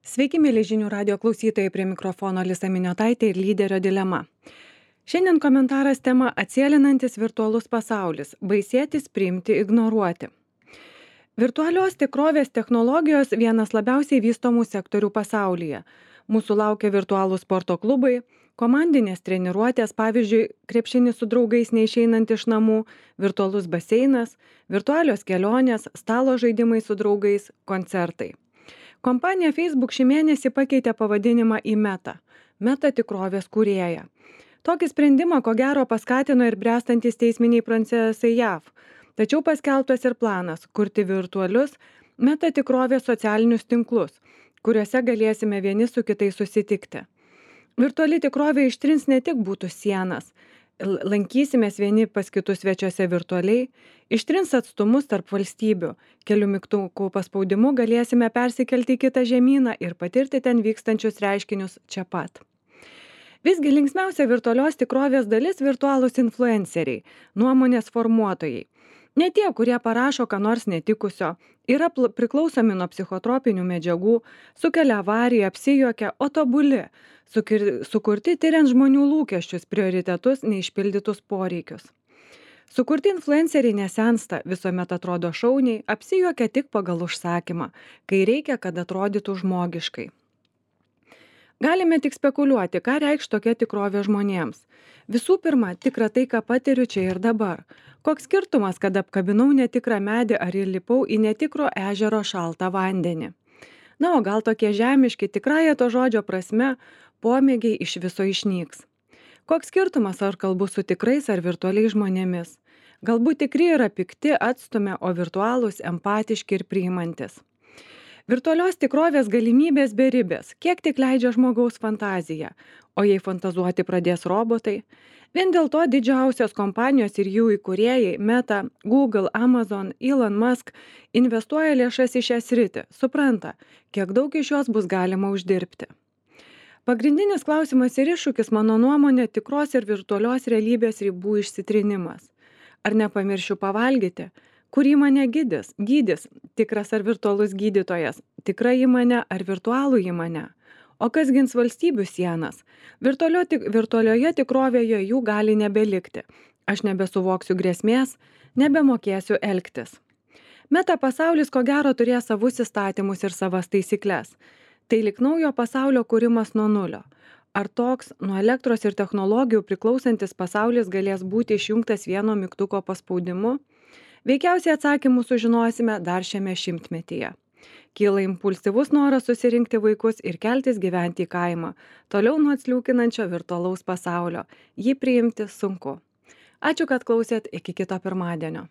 Sveiki, mėly žinių radio klausytojai, prie mikrofono Lisa Miniotaitė ir lyderio dilema. Šiandien komentaras tema atsėlinantis virtualus pasaulis - baisėtis, priimti, ignoruoti. Virtualios tikrovės technologijos vienas labiausiai vystomų sektorių pasaulyje. Mūsų laukia virtualūs sporto klubai, komandinės treniruotės, pavyzdžiui, krepšinis su draugais neišeinant iš namų, virtualus baseinas, virtualios kelionės, stalo žaidimai su draugais, koncertai. Kompanija Facebook šį mėnesį pakeitė pavadinimą į Meta tikrovės kūrėją. Tokį sprendimą ko gero paskatino ir bręstantis teisminiai procesai JAV. Tačiau paskelbtas ir planas kurti virtualius Meta tikrovės socialinius tinklus, kuriuose galėsime vieni su kitais susitikti. Virtuali tikrovė ištrins ne tik būtų sienas, lankysimės vieni pas kitus svečiuose virtualiai, ištrins atstumus tarp valstybių, kelių mygtukų paspaudimu galėsime persikelti į kitą žemyną ir patirti ten vykstančius reiškinius čia pat. Visgi linksmiausia virtualios tikrovės dalis - virtualūs influenceriai, nuomonės formuotojai. Ne tie, kurie parašo ką nors netikusio, yra priklausomi nuo psichotropinių medžiagų, sukelia avariją, apsijuokia, o tobuli, sukurti tyriant žmonių lūkesčius, prioritetus, neišpildytus poreikius. Sukurti influenceriai nesensta, visuomet atrodo šauniai, apsijuokia tik pagal užsakymą, kai reikia, kad atrodytų žmogiškai. Galime tik spekuliuoti, ką reikš tokia tikrovė žmonėms. Visų pirma, tikra tai, ką patiriu čia ir dabar. Koks skirtumas, kad apkabinau netikrą medį ar įlipau į netikro ežero šaltą vandenį. Na, o gal tokie žemiški, tikrąja to žodžio prasme, pomėgiai iš viso išnyks. Koks skirtumas, ar kalbu su tikrais ar virtualiais žmonėmis. Galbūt tikri yra pikti, atstumia, o virtualūs empatiški ir priimantis. Virtualios tikrovės galimybės beribės, kiek tik leidžia žmogaus fantazija, o jei fantazuoti pradės robotai. Vien dėl to didžiausios kompanijos ir jų įkūrėjai Meta, Google, Amazon, Elon Musk investuoja lėšas į šią sritį, supranta, kiek daug iš jos bus galima uždirbti. Pagrindinis klausimas ir iššūkis, mano nuomonė, tikros ir virtualios realybės ribų išsitrinimas. Ar nepamiršiu pavalgyti? Kur įmonė gydys, tikras ar virtualus gydytojas, tikra įmonė ar virtualų įmonė? O kas gins valstybių sienas? Virtualioje tikrovėje jų gali nebelikti. Aš nebesuvoksiu grėsmės, nebemokėsiu elgtis. Meta pasaulis ko gero turės savus įstatymus ir savas taisyklės. Tai lyg naujo pasaulio kūrimas nuo nulio. Ar toks nuo elektros ir technologijų priklausantis pasaulis galės būti išjungtas vieno mygtuko paspaudimu? Veikiausiai atsakymus sužinosime dar šiame šimtmetyje. Kyla impulsyvus noras susirinkti vaikus ir keltis gyventi į kaimą, toliau nuo atsliūkinančio virtualaus pasaulio. Jį priimti sunku. Ačiū, kad klausėt, iki kito pirmadienio.